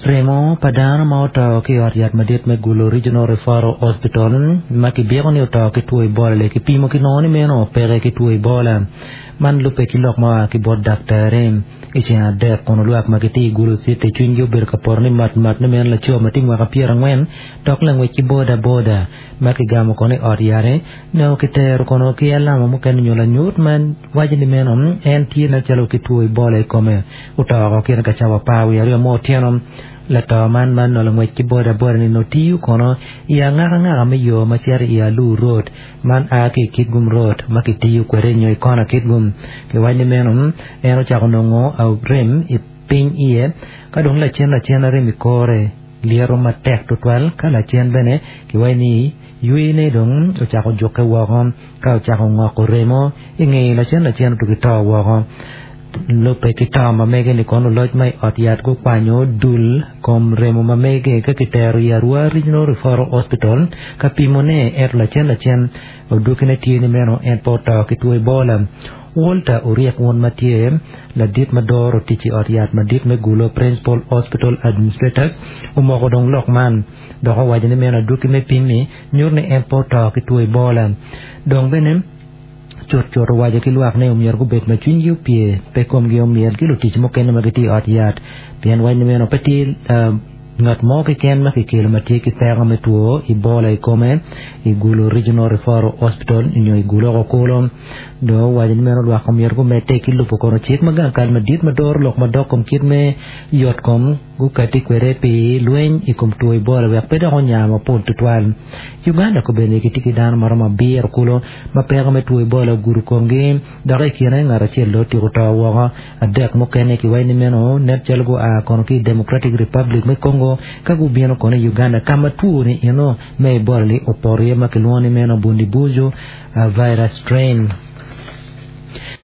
Remo pa dano ma oto ki i ot yat madit me Gulu Regional Referral Hospital ma kibiko ni oto ki two Ebola-li kipimo kinongo ni meno peke ki two Ebola. Man lubbe ki lok ma oa ki bot daktari. I ceng adek kono lwak ma gitye i Gulu City cwinygi obedo ka poto ni mat mat ni meno laco ma tye mwaka pyerangwen dok langwec ki boda boda ma kigamo kono i ot yat-ti nongo kitero kono ki alama mukene nyo lanyut ma waco ni meno en tye nen calo ki two Ebola i kome. Oto oko kine ka cawa 12 me otyeno. Lato man ma nongo langwec ki boda boda ni nongo tiyo kono i angaka ngaka me yo ma cito i Alur Road man a ki i Kitgum Road ma kitiyo kwede nyo i kona Kitgum. Kiwaco ni meno en ocako nongo arem i piny iye ka dong lacen lacen arem i kore lyeto matek tutwal ka lacen bene kiwaco ni yweyone dong ocako jukke woko ka ocako ngoko remo i ngeye lacen lacen otugi to woko. Lubbe ki to ma mege-ni kono luloc ma i ot yat gukwanyo dul kom remo ma mege ka kitero i Arua Regional Referral Hospital ka pimone ento lacen lacen odwokine tye ni meno en pe oto ki two Ebola. Walter Oryek won ma tye ladit ma doro tic i ot yat madit me Gulu Principal Hospital Administrators omoko dong lok man dok owaco ni meno adwoki me pim-mi nyuto ni en pe oto ki two Ebola. Dong bene Cutcut owaco ki lwak ni omyero gubed ma cwinygi opye, pe komgi omyel ki lutic mukene ma gitye i ot yat, pien waco ni meno pe tye ngat mo keken ma kikelo ma tye ki peko me two Ebola i kome i Gulu Regional Referral Hospital nyo i Gulu oko kulu. Dong owaco ni meno lwak omyero gumedde ki lubo kono cik ma gang kal madit ma doro lok madok kom kit me yot kom gukati kwede pi lweny i kom two Ebola wek pe dok onya mapol tutwal. Uganda kobeddi gitye ki dano maromo abiro kulu ma peko me two Ebola ogudo komgi, dok i kine ngat acel dong otyeko to woko. Adek mukene kiwaco ni meno nen calo gua kono ki i Democratic Republic me Congo ka gubino kono i Uganda ka ma two-ni eno me Ebola-li opoto iye ma kilwongo ni meno Bundibugyo virus strain.